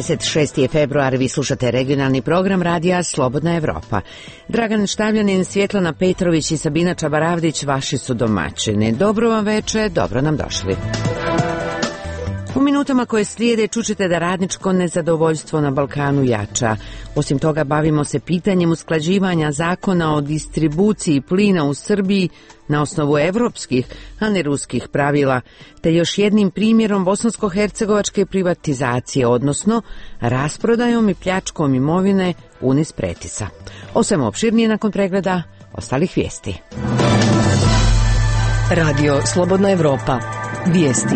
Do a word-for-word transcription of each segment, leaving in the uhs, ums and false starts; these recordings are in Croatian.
dvadeset šesti je februar, vi slušate regionalni program radija Slobodna Evropa. Dragan Štavljanin, Svjetlana Petrović i Sabina Čabaravdić vaši su domaćini. Dobro vam veče, dobro nam došli. U minutama koje slijede čućete da radničko nezadovoljstvo na Balkanu jača. Osim toga bavimo se pitanjem usklađivanja zakona o distribuciji plina u Srbiji na osnovu evropskih, a ne ruskih pravila, te još jednim primjerom bosansko-hercegovačke privatizacije, odnosno rasprodajom i pljačkom imovine Unis Pretisa. O svemu opširnije nakon pregleda ostalih vijesti. Radio Slobodna Evropa. Vijesti.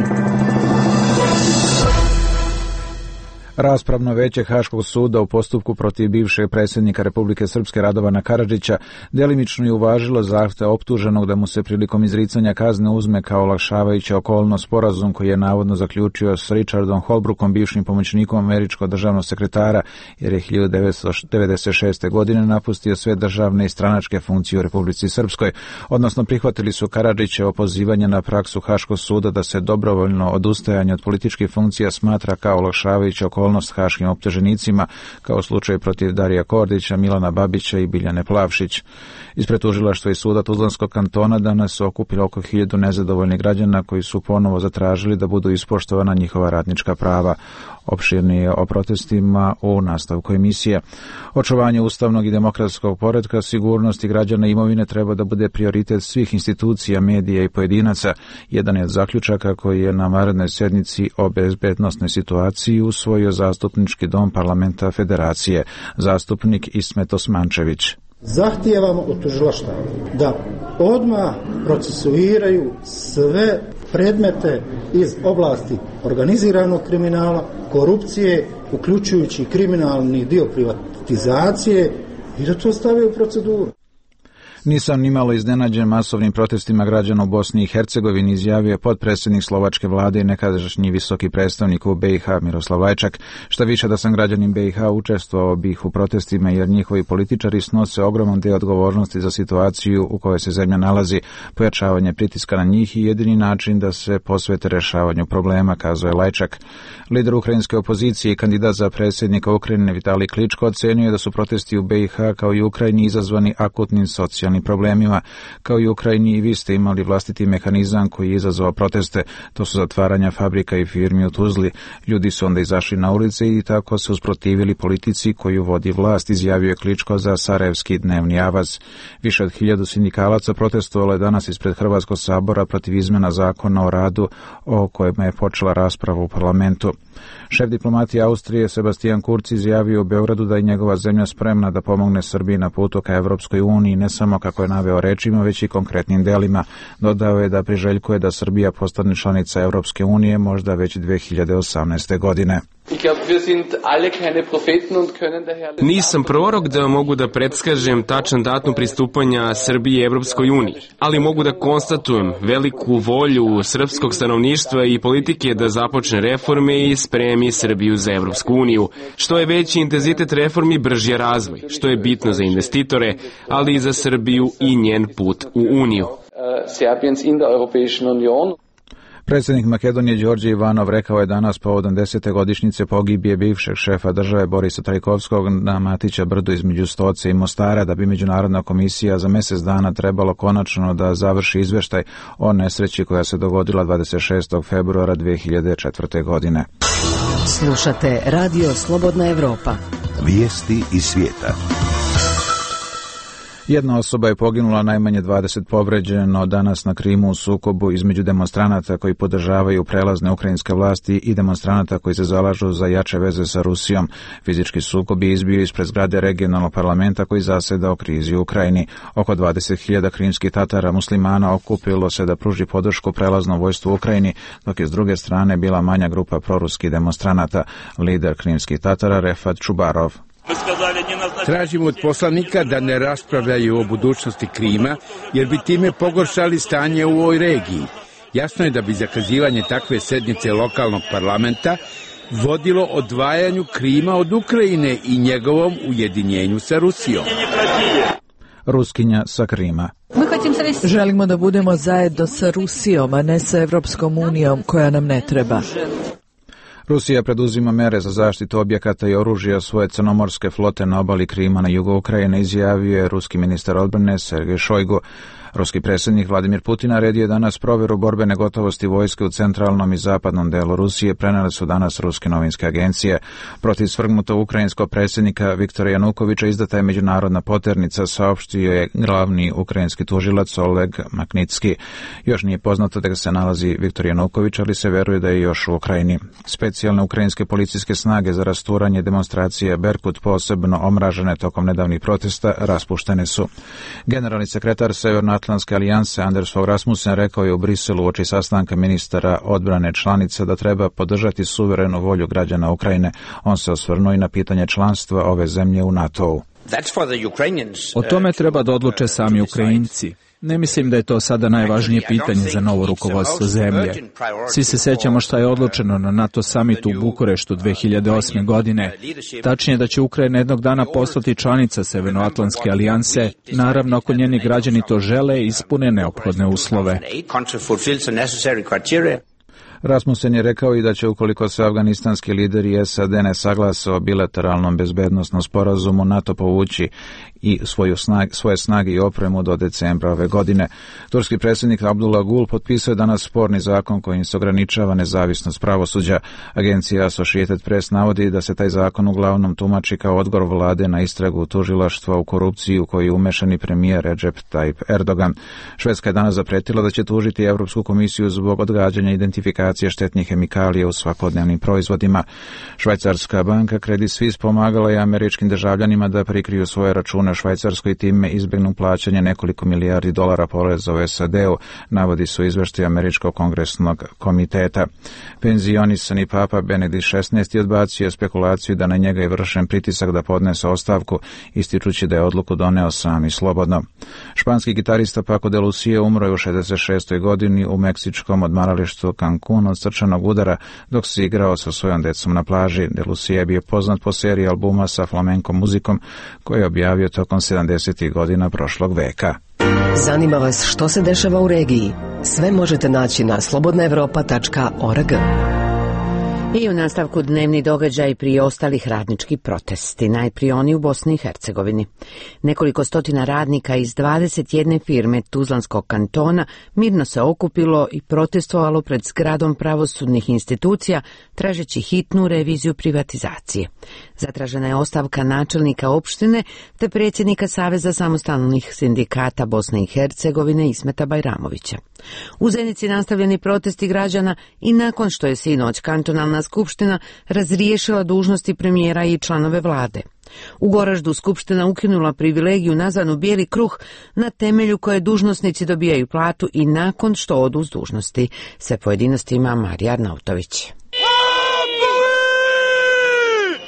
Raspravno veće Haškog suda u postupku protiv bivšeg predsjednika Republike Srpske Radovana Karadžića delimično je uvažilo zahtjev optuženog da mu se prilikom izricanja kazne uzme kao olakšavajuća okolnost sporazum koji je navodno zaključio s Richardom Holbrookom, bivšim pomoćnikom američkog državnog sekretara, jer je hiljadu devetsto devedeset šeste. godine napustio sve državne i stranačke funkcije u Republici Srpskoj, odnosno prihvatili su Karadžićevo pozivanje na praksu Haškog suda da se dobrovoljno odustajanje od političkih funkcija smatra kao olakšavajuća okolnost haškim optuženicima, kao slučaj protiv Darija Kordića, Milana Babića i Biljane Plavšić. Ispred tužilaštva i suda Tuzlanskog kantona danas su okupili oko hiljadu nezadovoljnih građana koji su ponovo zatražili da budu ispoštovana njihova radnička prava. Opširnije o protestima u nastavku emisije. Očuvanje ustavnog i demokratskog poretka, sigurnosti građana i imovine treba da bude prioritet svih institucija, medija i pojedinaca. Jedan je od zaključaka koji je na vanrednoj sjednici o bezbednosnoj situaciji usvojio zastupnički dom parlamenta Federacije, zastupnik Ismet Osmančević. Zahtijevamo od tužilaštva da odmah procesuiraju sve predmete iz oblasti organiziranog kriminala, korupcije, uključujući kriminalni dio privatizacije i da to stave u proceduru. Nisam nimalo iznenađen masovnim protestima građana u Bosni i Hercegovini, izjavio je potpredsjednik slovačke vlade i nekadašnji visoki predstavnik u B i H Miroslav Lajčak. Šta više da sam građanin B i H, učestvovao bih u protestima jer njihovi političari snose ogroman deo odgovornosti za situaciju u kojoj se zemlja nalazi, pojačavanje pritiska na njih i jedini način da se posvete rješavanju problema, kazao je Lajčak. Lider ukrajinske opozicije i kandidat za predsjednika Ukrajine Vitalij Kličko ocenio je da su protesti u B i H kao i Ukrajini izazvani akutnim socijalnim problemima. Kao i Ukrajini i vi ste imali vlastiti mehanizam koji je izazvao proteste, to su zatvaranja fabrika i firmi u Tuzli. Ljudi su onda izašli na ulice i tako se usprotivili politici koju vodi vlast, izjavio je Kličko za Sarajevski dnevni avaz. Više od hiljadu sindikalaca protestovalo je danas ispred Hrvatskog sabora protiv izmjena zakona o radu o kojima je počela rasprava u parlamentu. Šef diplomatije Austrije Sebastian Kurz izjavio u Beogradu da je njegova zemlja spremna da pomogne Srbiji na putu ka Evropskoj uniji, ne samo kako je naveo rečima, već i konkretnim delima. Dodao je da priželjkuje da Srbija postane članica Evropske unije možda već dve hiljade osamnaeste. godine. Nisam prorok da mogu da predskažem tačan datum pristupanja Srbije Evropskoj uniji, ali mogu da konstatujem veliku volju srpskog stanovništva i politike da započne reforme i spremi Srbiju za Evropsku uniju. Što je veći intenzitet reformi, brži je razvoj, što je bitno za investitore, ali i za Srbiju i njen put u Uniju. Predsjednik Makedonije Đorđe Ivanov rekao je danas povodom desete godišnjice pogibije bivšeg šefa države Borisa Trajkovskog na Matića brdu između Stoce i Mostara da bi Međunarodna komisija za mjesec dana trebalo konačno da završi izvještaj o nesreći koja se dogodila dvadeset šestog februara dve hiljade četvrte. godine. Slušate Radio Slobodna Evropa. Vijesti iz svijeta. Jedna osoba je poginula, najmanje dvadeset povređeno danas na Krimu u sukobu između demonstranata koji podržavaju prelazne ukrajinske vlasti i demonstranata koji se zalažu za jače veze sa Rusijom. Fizički sukob je izbio ispred zgrade regionalnog parlamenta koji zaseda o krizi u Ukrajini. Oko dvadeset hiljada krimskih Tatara muslimana okupilo se da pruži podršku prelaznom vojstvu u Ukrajini, dok je s druge strane bila manja grupa proruskih demonstranata. Lider krimskih Tatara Refat Čubarov. Tražimo od poslanika da ne raspravljaju o budućnosti Krima, jer bi time pogoršali stanje u ovoj regiji. Jasno je da bi zakazivanje takve sednice lokalnog parlamenta vodilo odvajanju Krima od Ukrajine i njegovom ujedinjenju sa Rusijom. Ruskinja sa Krima. Želimo da budemo zajedno sa Rusijom, a ne sa Evropskom unijom koja nam ne treba. Rusija preduzima mere za zaštitu objekata i oružja svoje crnomorske flote na obali Krima na jugu Ukrajine, izjavio je ruski ministar odbrane Sergej Šojgu. Ruski predsjednik Vladimir Putin naredio je danas provjeru borbene gotovosti vojske u centralnom i zapadnom delu Rusije, prenijele su danas ruske novinske agencije. Protiv svrgnutog ukrajinskog predsjednika Viktora Janukovića izdata je međunarodna poternica, saopštio je glavni ukrajinski tužilac Oleg Maknitski. Još nije poznato da se nalazi Viktor Januković, ali se veruje da je još u Ukrajini. Specijalne ukrajinske policijske snage za rasturanje demonstracije Berkut, posebno omražene tokom nedavnih protesta, raspuštene su. Generalni sekretar Severnoatlantske alijanse Anders Fogh Rasmussen rekao je u Briselu uoči sastanka ministara odbrane članica da treba podržati suverenu volju građana Ukrajine. On se osvrnuo i na pitanje članstva ove zemlje u NATO-u. O tome treba da odluče sami Ukrajinci. Ne mislim da je to sada najvažnije pitanje za novo rukovodstvo zemlje. Svi se sećamo šta je odlučeno na NATO samitu u Bukureštu dve hiljade osme. godine. Tačnije da će Ukrajina jednog dana postati članica Severnoatlantske alijanse, naravno ako njeni građani to žele i ispune neophodne uslove. Rasmussen je rekao i da će, ukoliko se afganistanski lideri i S A D ne saglase o bilateralnom bezbednosnom sporazumu, NATO povući i svoju snag, svoje snage i opremu do decembra ove godine. Turski predsjednik Abdullah Gul potpisao je danas sporni zakon kojim se ograničava nezavisnost pravosuđa. Agencija Associated Press navodi da se taj zakon uglavnom tumači kao odgovor vlade na istragu tužilaštva u korupciji u koju je umešani premijer Recep Tayyip Erdogan. Švedska je danas zapretila da će tužiti Europsku komisiju zbog odgađanja identifikacije štetnih hemikalija u svakodnevnim proizvodima. Švajcarska banka Credit Suisse pomagala je američkim državljanima da prikriju svoje račune u Švajcarskoj i time izbjegnu plaćanje nekoliko milijardi dolara poreza u S A D-u, navodi su izveštaj Američkog kongresnog komiteta. Penzionisani papa Benedikt šesnaesti odbacio spekulaciju da na njega je vršen pritisak da podnese ostavku, ističući da je odluku doneo sam i slobodno. Španski gitarista Paco de Lucia umro je u šezdeset šestoj godini u meksičkom odmaralištu Cancun od srčanog udara dok se igrao sa svojom decom na plaži. De Lucia je bio poznat po seriji albuma sa flamenko muzikom koji je objavio tokom sedamdesetih godina prošlog veka. Zanima vas što se dešava u regiji? Sve možete naći na slobodna evropa tačka org. I u nastavku dnevni događaj prije ostalih radnički protesti, najprije oni u Bosni i Hercegovini. Nekoliko stotina radnika iz dvadeset jedne firme Tuzlanskog kantona mirno se okupilo i protestovalo pred zgradom pravosudnih institucija tražeći hitnu reviziju privatizacije. Zatražena je ostavka načelnika opštine te predsjednika Saveza samostalnih sindikata Bosne i Hercegovine Ismeta Bajramovića. U Zenici nastavljeni protesti građana i nakon što je sinoć kantonalna skupština razriješila dužnosti premijera i članove vlade. U Goraždu skupština ukinula privilegiju nazvanu bijeli kruh na temelju koje dužnosnici dobijaju platu i nakon što odu s dužnosti. Sve pojedinostima Marija Arnautović.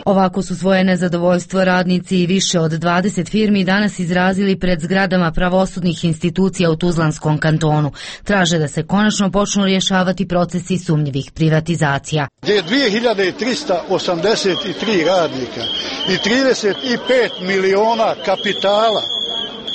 Ovako su svoje nezadovoljstvo radnici i više od dvadeset firmi danas izrazili pred zgradama pravosudnih institucija u Tuzlanskom kantonu. Traže da se konačno počnu rješavati procesi sumnjivih privatizacija. Gdje je dvije hiljade trista osamdeset tri radnika i trideset pet miliona kapitala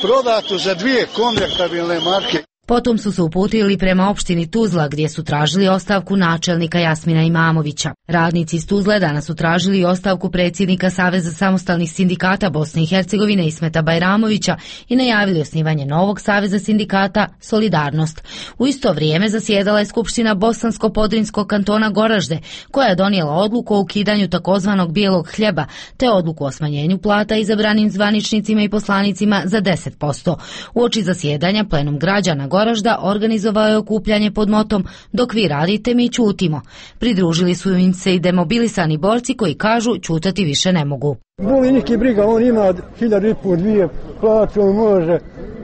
prodato za dvije konvertabilne marke. Potom su se uputili prema opštini Tuzla gdje su tražili ostavku načelnika Jasmina Imamovića. Radnici iz Tuzle danas su tražili ostavku predsjednika Saveza samostalnih sindikata Bosne i Hercegovine Ismeta Bajramovića i najavili osnivanje novog saveza sindikata Solidarnost. U isto vrijeme zasjedala je Skupština Bosansko-Podrinjskog kantona Goražde, koja je donijela odluku o ukidanju takozvanog bijelog hljeba, te odluku o smanjenju plata izabranim zvaničnicima i poslanicima za deset posto. Uoči zasjedanja plenum građana Goražda organizovao je okupljanje pod motom "Dok vi radite, mi ćutimo". Pridružili su im se i demobilisani borci koji kažu ćutati više ne mogu. Boli niki briga, on ima hiljadu i pol dvije plaću, on može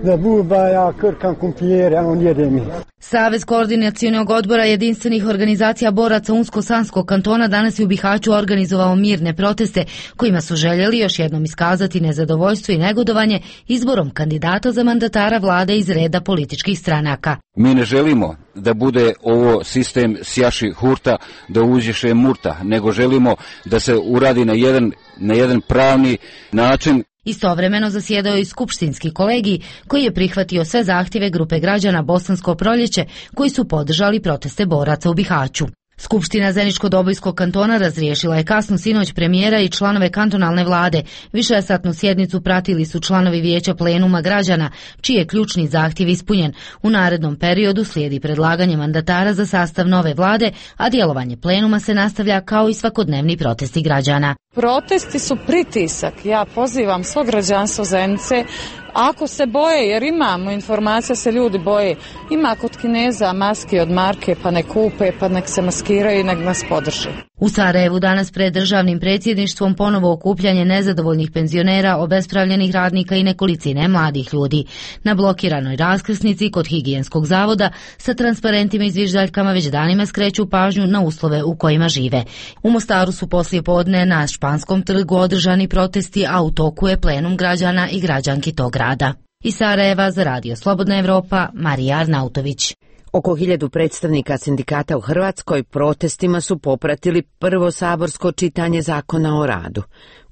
da buba, ja krkam kumpijere, a on jede mi. Savez koordinacionog odbora jedinstvenih organizacija boraca Unsko-Sanskog kantona danas je u Bihaću organizovao mirne proteste kojima su željeli još jednom iskazati nezadovoljstvo i negodovanje izborom kandidata za mandatara vlade iz reda političkih stranaka. Mi ne želimo da bude ovo sistem sjaši hurta, da uđeše murta, nego želimo da se uradi na jedan, na jedan pravni način. Istovremeno zasjedao je i skupštinski kolegij koji je prihvatio sve zahtjeve grupe građana Bosansko proljeće koji su podržali proteste boraca u Bihaću. Skupština Zeničko-Dobojskog kantona razriješila je kasno sinoć premijera i članove kantonalne vlade. Višesatnu sjednicu pratili su članovi vijeća plenuma građana, čiji je ključni zahtjev ispunjen. U narednom periodu slijedi predlaganje mandatara za sastav nove vlade, a djelovanje plenuma se nastavlja kao i svakodnevni protesti građana. Protesti su pritisak. Ja pozivam svo građanstvo Zenice, ako se boje, jer imamo informacija se ljudi boje, ima kod Kineza maske od marke, pa nek kupe, pa nek se maskiraju i nek nas podrže. U Sarajevu danas pred državnim predsjedništvom ponovo okupljanje nezadovoljnih penzionera, obespravljenih radnika i nekolicine mladih ljudi. Na blokiranoj raskrsnici kod higijenskog zavoda sa transparentima i zviždaljkama već danima skreću pažnju na uslove u kojima žive. U Mostaru su poslije podne na Španskom trgu održani protesti, a u toku je plenum građana i građanki tog grada. Iz Sarajeva za Radio Slobodna Evropa, Marija Arnautović. Oko hiljadu predstavnika sindikata u Hrvatskoj protestima su popratili prvo saborsko čitanje zakona o radu.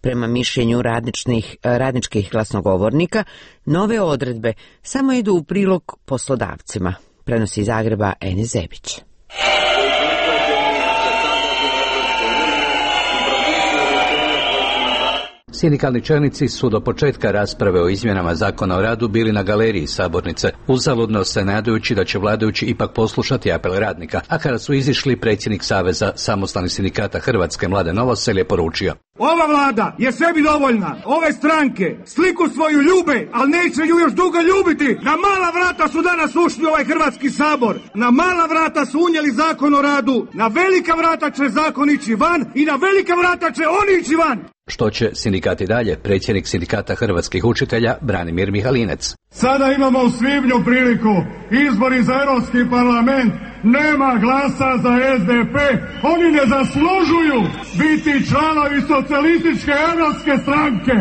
Prema mišljenju radničnih, radničkih glasnogovornika, nove odredbe samo idu u prilog poslodavcima, prenosi iz Zagreba Enis Zebić. Sindikalni čelnici su do početka rasprave o izmjenama zakona o radu bili na galeriji sabornice, uzaludno se nadajući da će vladajući ipak poslušati apel radnika, a kada su izišli, predsjednik Saveza samostalnih sindikata Hrvatske Mladen Novosel je poručio: ova vlada je sebi dovoljna, ove stranke sliku svoju ljube, ali neće ju još dugo ljubiti. Na mala vrata su danas ušli u ovaj Hrvatski sabor, na mala vrata su unijeli zakon o radu, na velika vrata će zakon ići van i na velika vrata će oni ići van. Što će sindikati dalje? Predsjednik sindikata hrvatskih učitelja Branimir Mihalinec. Sada imamo u svibnju priliku, izbori za Europski parlament, nema glasa za S D P, oni ne zaslužuju biti članovi socijalističke europske stranke.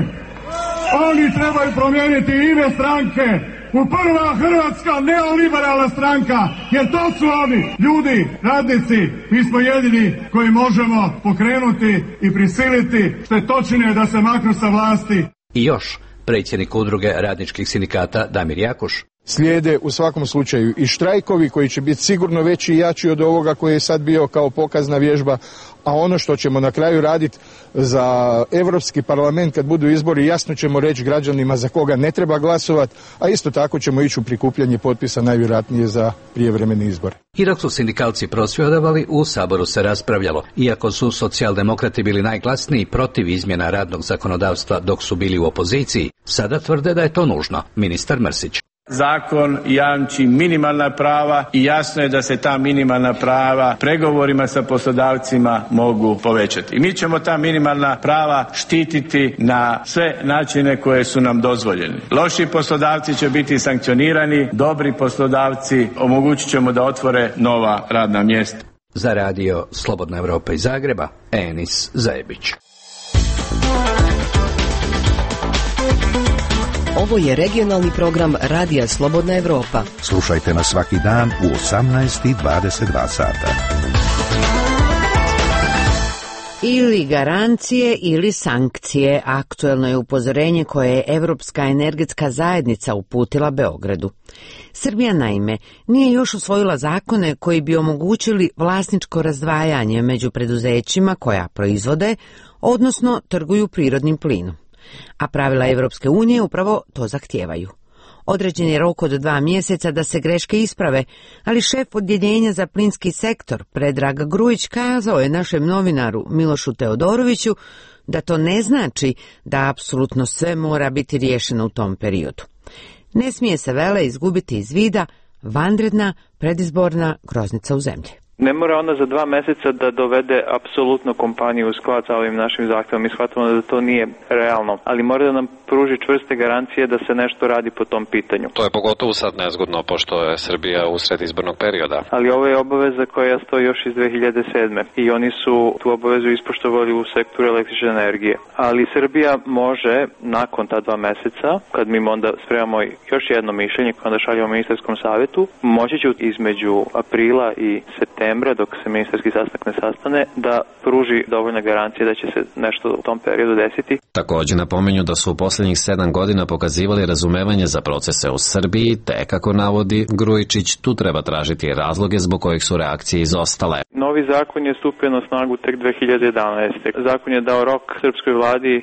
Oni trebaju promijeniti ime stranke u prva hrvatska neoliberalna stranka, jer to su oni, ljudi, radnici, mi smo jedini koji možemo pokrenuti i prisiliti štetočine da se maknu sa vlasti. I još, predsjednik udruge radničkih sindikata Damir Jakuš. Slijede u svakom slučaju i štrajkovi koji će biti sigurno veći i jači od ovoga koji je sad bio kao pokazna vježba, a ono što ćemo na kraju raditi za Europski parlament kad budu izbori, jasno ćemo reći građanima za koga ne treba glasovati, a isto tako ćemo ići u prikupljanje potpisa najvjerojatnije za prijevremeni izbor. I dok su sindikalci prosvjedovali, u Saboru se raspravljalo. Iako su socijaldemokrati bili najglasniji protiv izmjena radnog zakonodavstva dok su bili u opoziciji, sada tvrde da je to nužno. Ministar Mrsić. Zakon jamči minimalna prava i jasno je da se ta minimalna prava pregovorima sa poslodavcima mogu povećati. I mi ćemo ta minimalna prava štititi na sve načine koje su nam dozvoljeni. Loši poslodavci će biti sankcionirani, dobri poslodavci omogućit ćemo da otvore nova radna mjesta. Za Radio Slobodna Evropa iz Zagreba, Enis Zebić. Ovo je regionalni program Radija Slobodna Evropa. Slušajte nas svaki dan u osamnaest i dvadeset dva sata. Ili garancije ili sankcije, aktuelno je upozorenje koje je Evropska energetska zajednica uputila Beogradu. Srbija naime nije još usvojila zakone koji bi omogućili vlasničko razdvajanje među preduzećima koja proizvode, odnosno trguju prirodnim plinom. A pravila Evropske unije upravo to zahtijevaju. Određen je rok od dva mjeseca da se greške isprave, ali šef odjeljenja za plinski sektor Predrag Grujić kazao je našem novinaru Milošu Teodoroviću da to ne znači da apsolutno sve mora biti riješeno u tom periodu. Ne smije se vele izgubiti iz vida vanredna predizborna groznica u zemlji. Ne mora ona za dva mjeseca da dovede apsolutno kompaniju u sklad sa ovim našim zahtjevom. Mi shvatimo da to nije realno, ali mora da nam pruži čvrste garancije da se nešto radi po tom pitanju. To je pogotovo sad nezgodno, pošto je Srbija usred izbornog perioda. Ali ovo je obaveza koja stoji još iz dve hiljade sedme i oni su tu obavezu ispoštovali u sektoru električne energije. Ali Srbija može, nakon ta dva mjeseca, kad mi onda spremamo još jedno mišljenje koje onda šaljemo ministarskom savjetu, moći će između aprila i septembra novembra, dok se ministarski sastanak ne sastane, da pruži dovoljna garancija da će se nešto u tom periodu desiti. Također napominju da su u posljednjih sedam godina pokazivali razumevanje za procese u Srbiji, te, kako navodi Grujičić, tu treba tražiti razloge zbog kojih su reakcije izostale. Novi zakon je stupio na snagu tek dve hiljade jedanaeste. Zakon je dao rok srpskoj vladi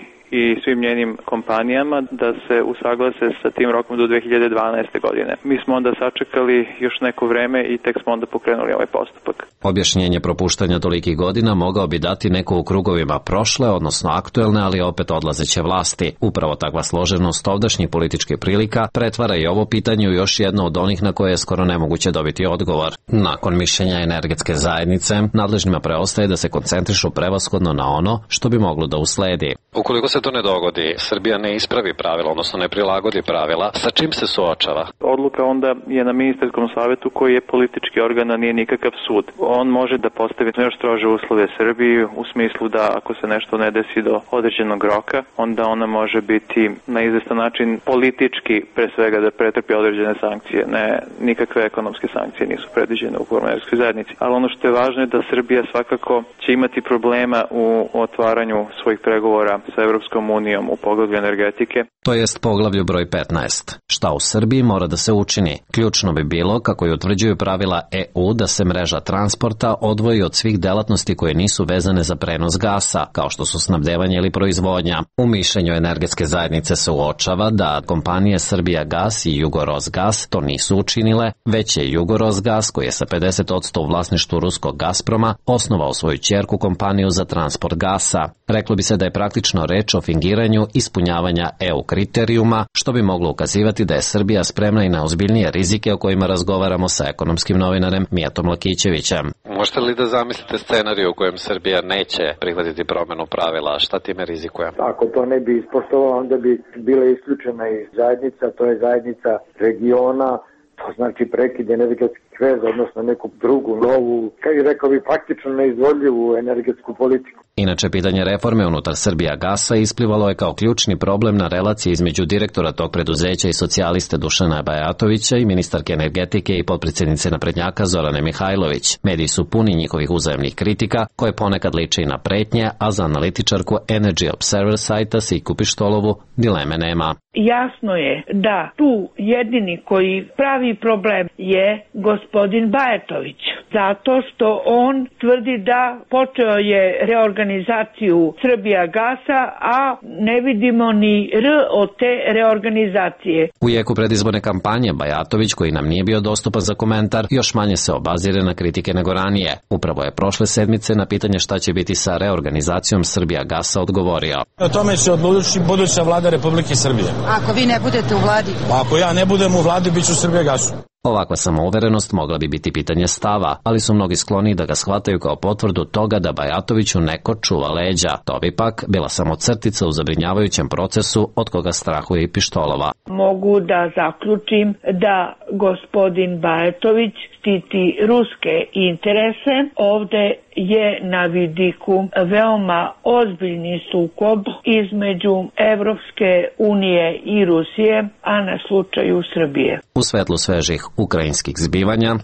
i svim njenim kompanijama da se usaglase sa tim rokom do dve hiljade dvanaeste. godine. Mi smo onda sačekali još neko vreme i tek smo onda pokrenuli ovaj postupak. Objašnjenje propuštanja tolikih godina mogao bi dati neko u krugovima prošle, odnosno aktuelne, ali opet odlazeće vlasti. Upravo takva složenost ovdašnjih političkih prilika pretvara i ovo pitanje u još jedno od onih na koje je skoro nemoguće dobiti odgovor. Nakon mišljenja energetske zajednice, nadležnima preostaje da se koncentrišu prevashodno na ono što bi moglo da usledi. Ukoliko se to ne dogodi, Srbija ne ispravi pravila, odnosno ne prilagodi pravila, sa čim se suočava? Odluka onda je na ministarskom savjetu koji je politički organ, a nije nikakav sud. On može da postavi još strože uslove Srbiji u smislu da ako se nešto ne desi do određenog roka, onda ona može biti na izvestan način politički pre svega da pretrpi određene sankcije. Ne, nikakve ekonomske sankcije nisu predviđene u energetskoj zajednici. Ali ono što je važno je da Srbija svakako će imati problema u otvaranju svojih pregovora sa Evropskom unijom u poglavlju energetike. To jest poglavlju broj petnaest. Šta u Srbiji mora da se učini? Ključno bi bilo, kako i utvrđuju pravila E U, da se mreža transporta odvoji od svih delatnosti koje nisu vezane za prenos gasa, kao što su snabdevanje ili proizvodnja. U mišljenju energetske zajednice se uočava da kompanije Srbijagas i Jugorosgas to nisu učinile, već je Jugorosgas, koji je sa pedeset posto u vlasništvu ruskog Gazproma, osnovao svoju ćerku kompaniju za transport gasa. Reklo bi se da je praktično reč o fingiranju ispunjavanja E U kriterijuma, što bi moglo ukazivati da je Srbija spremna i na ozbiljnije rizike o kojima razgovaramo sa ekonomskim novinarem Mijatom Lakićevićem. Možete li da zamislite scenariju u kojem Srbija neće prihvatiti promjenu pravila? Šta time rizikuje? Ako to ne bi ispoštovalo, onda bi bila isključena i zajednica, to je zajednica regiona, to znači prekid energetskih veza, odnosno neku drugu, novu, kao i rekao bi, faktično neizvodljivu energetsku politiku. Inače, pitanje reforme unutar Srbijagasa isplivalo je kao ključni problem na relaciji između direktora tog preduzeća i socijaliste Dušana Bajatovića i ministarke energetike i potpredsjednice naprednjaka Zorane Mihajlović. Mediji su puni njihovih uzajemnih kritika, koje ponekad liče i na pretnje, a za analitičarku Energy Observer sajta Siku Pištolovu dileme nema. Jasno je da tu jedini koji pravi problem je gospodin Bajatović, zato što on tvrdi da počeo je reorganizaciju Srbijagasa, a ne vidimo ni R od te reorganizacije. U jeku predizborne kampanje Bajatović, koji nam nije bio dostupan za komentar, još manje se obazire na kritike nego ranije. Upravo je prošle sedmice na pitanje šta će biti sa reorganizacijom Srbijagasa odgovorio. O tome će odlučiti buduća vlada Republike Srbije. Ako vi ne budete u vladi? Ako ja ne budem u vladi, bit ću u Srbijagasu. Ovakva samouverenost mogla bi biti pitanje stava, ali su mnogi skloni da ga shvataju kao potvrdu toga da Bajatoviću neko čuva leđa. To bi pak bila samo crtica u zabrinjavajućem procesu od koga strahuje i Pištolova. Mogu da zaključim da gospodin Bajatović štiti ruske interese. Ovde je na vidiku veoma ozbiljni sukob između Evropske unije i Rusije, a na slučaju Srbije. U svetlu svežih ukrajinskih zbivanja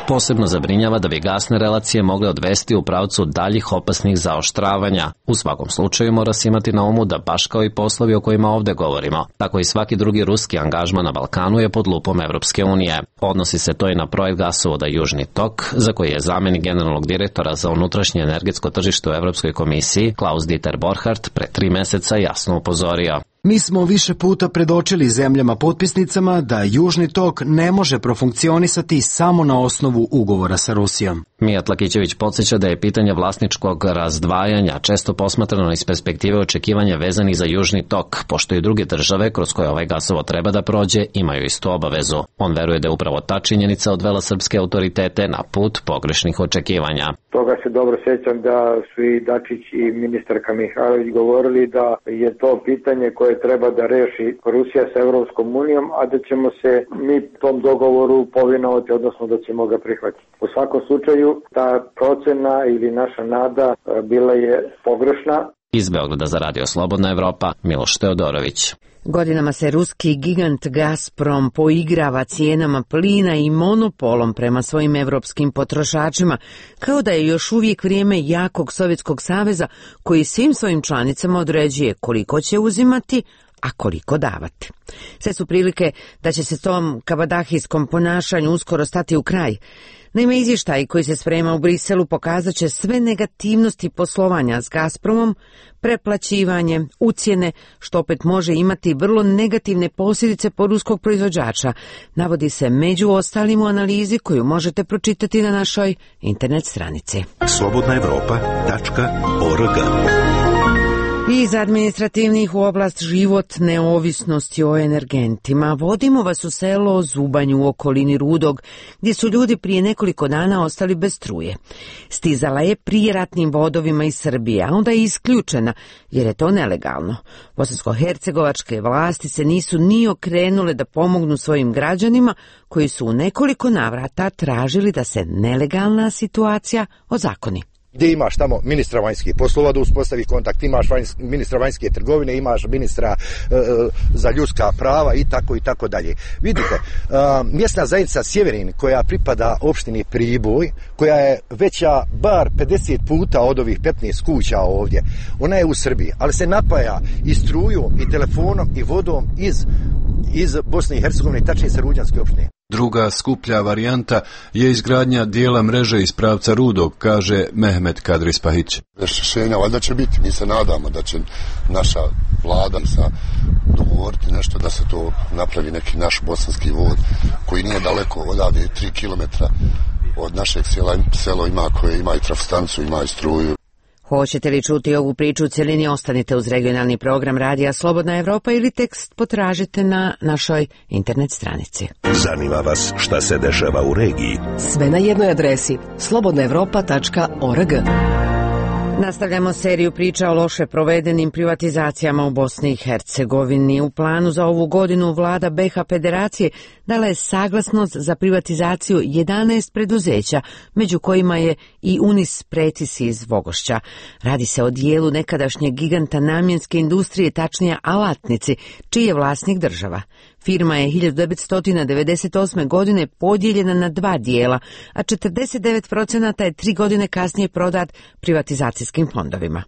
posebno zabrinjava da bi gasne relacije mogle odvesti u pravcu daljih opasnih zaoštravanja. U svakom slučaju mora se imati na umu da baš kao i poslovi o kojima ovde govorimo, tako i svaki drugi ruski angažman na Balkanu je pod lupom Evropske unije. Odnosi se to i na projekt gasovoda Južni tok, za koji je zamenik generalnog direktora za unutrašnje energetsko tržište u Evropskoj komisiji Klaus Dieter Borchardt pre tri meseca jasno upozorio. Mi smo više puta predočili zemljama potpisnicama da Južni tok ne može profunkcionisati samo na osnovu ugovora sa Rusijom. Mijat Lakićević podsjeća da je pitanje vlasničkog razdvajanja često posmatrano iz perspektive očekivanja vezanih za Južni tok, pošto i druge države kroz koje ovaj gasovod treba da prođe imaju istu obavezu. On veruje da je upravo ta činjenica odvela srpske autoritete na put pogrešnih očekivanja. Toga se dobro sjećam da su i Dačić i ministarka Mihajlović govorili da je to pitanje koje treba da reši Rusija sa Evropskom unijom, a da ćemo se mi tom dogovoru povinovati, odnosno da ćemo ga prihvatiti. U svakom slučaju ta procena ili naša nada bila je pogrešna. Iz Beograda za Radio Slobodna Evropa, Miloš Teodorović. Godinama se ruski gigant Gazprom poigrava cijenama plina i monopolom prema svojim evropskim potrošačima, kao da je još uvijek vrijeme jakog Sovjetskog saveza koji svim svojim članicama određuje koliko će uzimati, a koliko davati. Sve su prilike da će se tom kabadahijskom ponašanju uskoro stati u kraj. Naime, izvještaj koji se sprema u Briselu pokazat će sve negativnosti poslovanja s Gazpromom, preplaćivanje, ucjene, što opet može imati vrlo negativne posljedice po ruskog proizvođača, navodi se među ostalim u analizi koju možete pročitati na našoj internet stranici. slobodna evropa tačka org. Iz administrativnih u oblast život neovisnosti o energentima. Vodimo vas u selo Zubanj u okolini Rudog, gdje su ljudi prije nekoliko dana ostali bez struje. Stizala je prijeratnim vodovima iz Srbije, a onda je isključena, jer je to nelegalno. Bosansko-hercegovačke vlasti se nisu ni okrenule da pomognu svojim građanima, koji su u nekoliko navrata tražili da se nelegalna situacija ozakoni. Gdje imaš tamo ministra vanjskih poslova da uspostavi kontakt, imaš vanjs, ministra vanjske trgovine, imaš ministra e, za ljudska prava i tako i tako dalje. Vidite, e, mjesna zajednica Sjeverin koja pripada opštini Priboj, koja je veća bar pedeset puta od ovih petnaest kuća ovdje, ona je u Srbiji, ali se napaja i strujom i telefonom i vodom iz, iz Bosne i Hercegovine, tačnije sa Ruđanske opštine. Druga skuplja varijanta je izgradnja dijela mreže iz pravca Rudog, kaže Mehmet Kadrispahić. Rješenja valjda će biti, mi se nadamo da će naša vlada sa dogovoriti nešto da se to napravi neki naš bosanski vod koji nije daleko odavde, tri kilometra od našeg sela, selo ima koje ima i trafostanicu, ima i struju. Hoćete li čuti ovu priču u cjelini, ostanite uz regionalni program Radija Slobodna Evropa ili tekst potražite na našoj internet stranici. Zanima vas šta se dešava u regiji? Sve na jednoj adresi slobodna evropa tačka org. Nastavljamo seriju priča o loše provedenim privatizacijama u Bosni i Hercegovini. U planu za ovu godinu vlada B iH Federacije dala je saglasnost za privatizaciju jedanaest preduzeća, među kojima je i Unis Pretis iz Vogošća. Radi se o dijelu nekadašnjeg giganta namjenske industrije, tačnije alatnici, čiji je vlasnik država. Firma je hiljadu devetsto devedeset osme. godine podijeljena na dva dijela, a četrdeset devet posto je tri godine kasnije prodat privatizacijskim fondovima.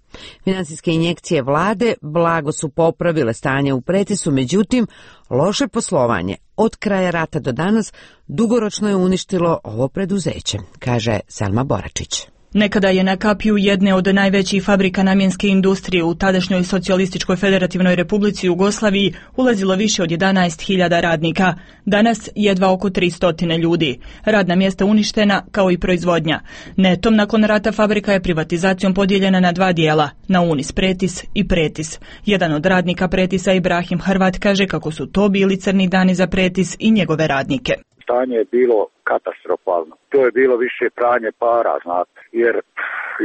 Financijske injekcije vlade blago su popravile stanje u Pretisu, međutim, loše poslovanje od kraja rata do danas dugoročno je uništilo ovo preduzeće, kaže Selma Boračić. Nekada je na kapiju jedne od najvećih fabrika namjenske industrije u tadašnjoj Socijalističkoj federativnoj republici Jugoslaviji ulazilo više od jedanaest hiljada radnika. Danas jedva oko tristo ljudi. Radna mjesta uništena kao i proizvodnja. Netom nakon rata fabrika je privatizacijom podijeljena na dva dijela, na Unis Pretis i Pretis. Jedan od radnika Pretisa, Ibrahim Hrvat, kaže kako su to bili crni dani za Pretis i njegove radnike. Stanje je bilo katastrofalno. To je bilo više pranje para, znate, jer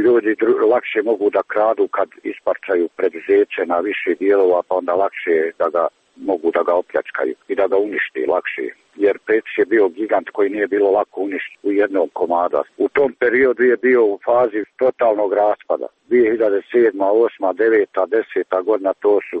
ljudi lakše mogu da kradu kad isparčaju preduzeće na više dijelova, pa onda lakše da ga mogu da ga opljačkaju i da ga uništi lakše. Jer Pretis je bio gigant koji nije bilo lako uništiti u jednom komada. U tom periodu je bio u fazi totalnog raspada. dvije hiljade sedma, osma, deveta, deseta godina, to su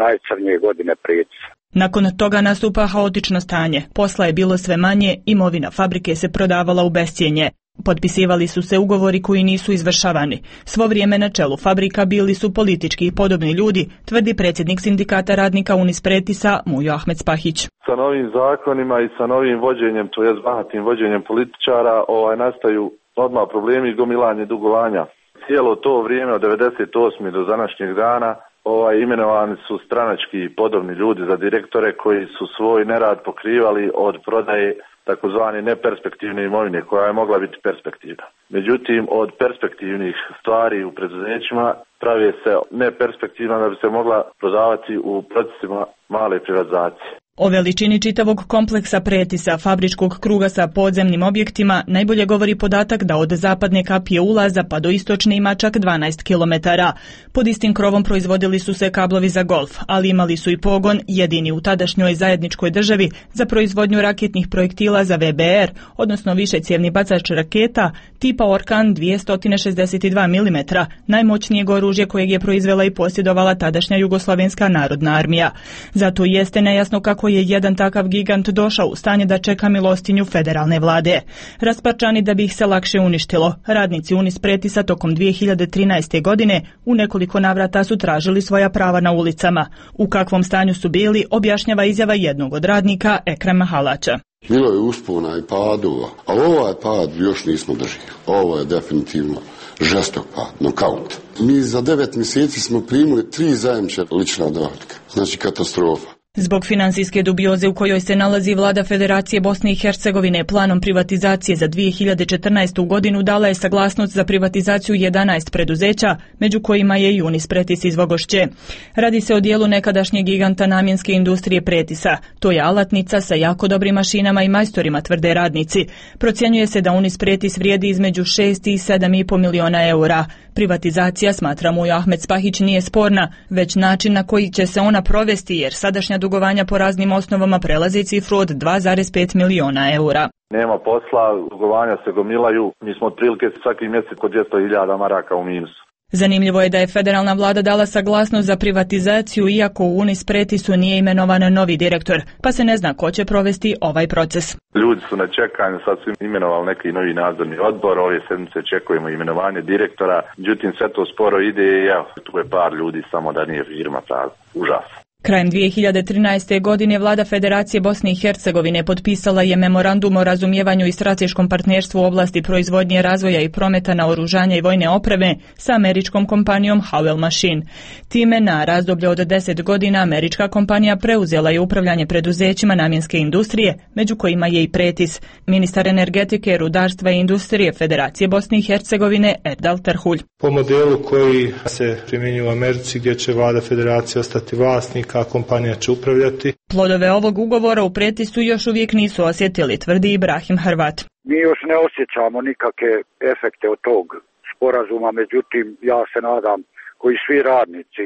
najcrnije godine Pretisa. Nakon toga nastupa haotično stanje. Posla je bilo sve manje, imovina fabrike se prodavala u bescjenje. Potpisivali su se ugovori koji nisu izvršavani. Svo vrijeme na čelu fabrika bili su politički i podobni ljudi, tvrdi predsjednik sindikata radnika Unis Pretisa Mujo Ahmed Spahić. Sa novim zakonima i sa novim vođenjem, to jest bahatim vođenjem političara, ovaj, nastaju odmah problemi i gomilanje dugovanja. Cijelo to vrijeme od devedeset osme do današnjeg dana Ovaj, imenovani su stranački podobni ljudi za direktore koji su svoj nerad pokrivali od prodaje takozvane neperspektivne imovine koja je mogla biti perspektivna. Međutim, od perspektivnih stvari u preduzećima pravi se neperspektivna da bi se mogla prodavati u procesima male privatizacije. O veličini čitavog kompleksa Pretisa, fabričkog kruga sa podzemnim objektima, najbolje govori podatak da od zapadne kapije ulaza pa do istočne ima čak dvanaest kilometara. Pod istim krovom proizvodili su se kablovi za golf, ali imali su i pogon, jedini u tadašnjoj zajedničkoj državi, za proizvodnju raketnih projektila za V B R, odnosno višecjevni bacač raketa, tipa Orkan dvjesto šezdeset dva milimetra, najmoćnijeg oružja kojeg je proizvela i posjedovala tadašnja Jugoslavenska narodna armija. Zato jeste nejasno kako je jedan takav gigant došao u stanje da čeka milostinju federalne vlade. Rasparčani da bi ih se lakše uništilo, radnici Unis Pretisa tokom dvije hiljade trinaeste. godine u nekoliko navrata su tražili svoja prava na ulicama. U kakvom stanju su bili, objašnjava izjava jednog od radnika, Ekrema Halača. Bilo je uspona i padova, ali ovaj pad još nismo držali. Ovo je definitivno žestok pad, nokaut. Mi za devet mjeseci smo primili tri zajamče lična dohotka, znači katastrofa. Zbog finansijske dubioze u kojoj se nalazi vlada Federacije Bosne i Hercegovine planom privatizacije za dvije hiljade četrnaestu. godinu dala je saglasnost za privatizaciju jedanaest preduzeća, među kojima je i Unis Pretis iz Vogošće. Radi se o dijelu nekadašnjeg giganta namjenske industrije Pretisa. To je alatnica sa jako dobrim mašinama i majstorima, tvrde radnici. Procjenjuje se da Unis Pretis vrijedi između šest i sedam i pol miliona eura. Privatizacija, smatra mu Ahmed Spahić, nije sporna, već način na koji će se ona provesti, jer sadašnja dugovanja po raznim osnovama prelazi cifru od dva zarez pet miliona eura. Nema posla, dugovanja se gomilaju, mi smo otprilike svaki mjesec kod dvjesto hiljada maraka u minusu. Zanimljivo je da je federalna vlada dala saglasnost za privatizaciju, iako u Unis Pretisu nije imenovan novi direktor, pa se ne zna ko će provesti ovaj proces. Ljudi su na čekanju, sad su imenovali neki novi nadzorni odbor, ove sedmice čekujemo imenovanje direktora, međutim sve to sporo ide i evo, tu je par ljudi, samo da nije firma prazna. Užas. Krajem dvije hiljade trinaeste. godine vlada Federacije Bosne i Hercegovine potpisala je memorandum o razumijevanju i strateškom partnerstvu u oblasti proizvodnje, razvoja i prometa naoružanja i vojne opreme sa američkom kompanijom Howell Machine. Time na razdoblje od deset godina američka kompanija preuzela je upravljanje preduzećima namjenske industrije, među kojima je i Pretis. Ministar energetike, rudarstva i industrije Federacije Bosne i Hercegovine Erdal Terhulj. Po modelu koji se primjenjuje u Americi, gdje će vlada Federacije ostati vlasnik, a kompanija će upravljati. Plodove ovog ugovora u Pretisu još uvijek nisu osjetili, tvrdi Ibrahim Hrvat. Mi još ne osjećamo nikakve efekte od tog sporazuma, međutim ja se nadam, koji svi radnici,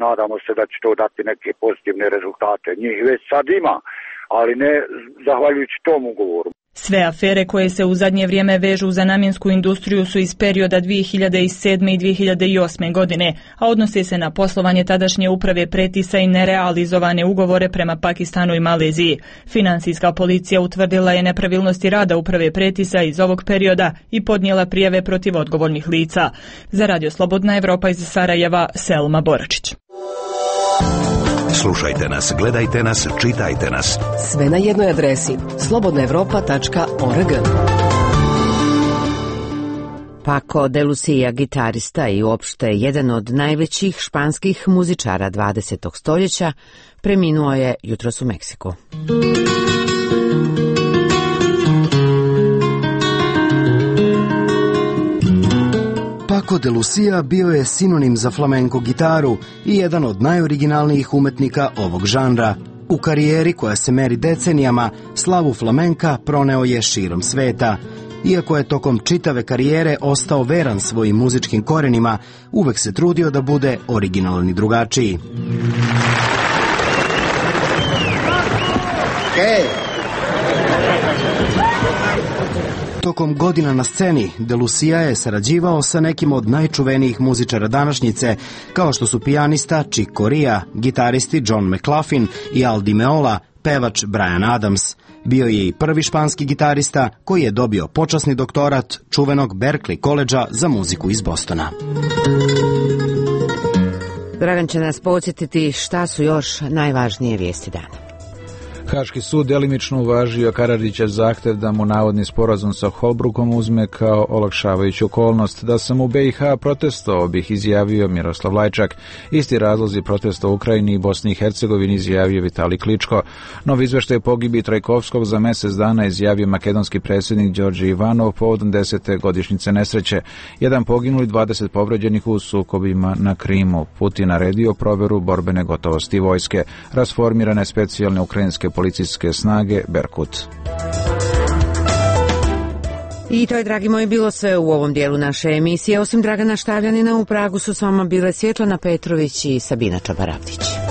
nadamo se da će to dati neke pozitivne rezultate. Njih već sad ima, ali ne zahvaljujući tom ugovoru. Sve afere koje se u zadnje vrijeme vežu za namjensku industriju su iz perioda dvije hiljade sedme. i dvije hiljade osme. godine, a odnose se na poslovanje tadašnje uprave Pretisa i nerealizovane ugovore prema Pakistanu i Maleziji. Finansijska policija utvrdila je nepravilnosti rada uprave Pretisa iz ovog perioda i podnijela prijave protiv odgovornih lica. Za Radio Slobodna Evropa iz Sarajeva, Selma Boračić. Slušajte nas, gledajte nas, čitajte nas. Sve na jednoj adresi slobodna evropa tačka org. Paco de Lucia, gitarista i uopšte jedan od najvećih španskih muzičara dvadesetog stoljeća, preminuo je jutros u Meksiku. Paco de Lucia bio je sinonim za flamenko gitaru i jedan od najoriginalnijih umetnika ovog žanra. U karijeri koja se meri decenijama, slavu flamenka proneo je širom sveta. Iako je tokom čitave karijere ostao veran svojim muzičkim korenima, uvek se trudio da bude originalan i drugačiji. Hey. Tokom godina na sceni, de Lucia je sarađivao sa nekim od najčuvenijih muzičara današnjice, kao što su pijanista Chick Corea, gitaristi John McLaughlin i Al Di Meola, pevač Bryan Adams. Bio je i prvi španski gitarista koji je dobio počasni doktorat čuvenog Berklee koledža za muziku iz Bostona. Dragan će nas podsjetiti šta su još najvažnije vijesti dana. Haški sud delimično uvažio Karadžićev zahtev da mu navodni sporazum sa Holbrookom uzme kao olakšavajuću okolnost. Da sam u be i ha protestovao bih, izjavio Miroslav Lajčak. Isti razlozi protesta u Ukrajini i Bosni i Hercegovini izjavio Vitali Kličko. Novi izveštaj pogibi Trajkovskog za mjesec dana izjavio makedonski predsjednik Đorđe Ivanov povodom desete godišnjice nesreće. Jedan poginuli, dvadeset povređenih u sukobima na Krimu. Putin naredio proveru borbene gotovosti vojske. Rasformirane specijalne ukrajinske policijske snage Berkut. I to je, dragi moji, bilo sve u ovom dijelu naše emisije. Osim Dragana Štavljanina, u Pragu su s vama bile Svjetlana Petrović i Sabina Čabaravdić.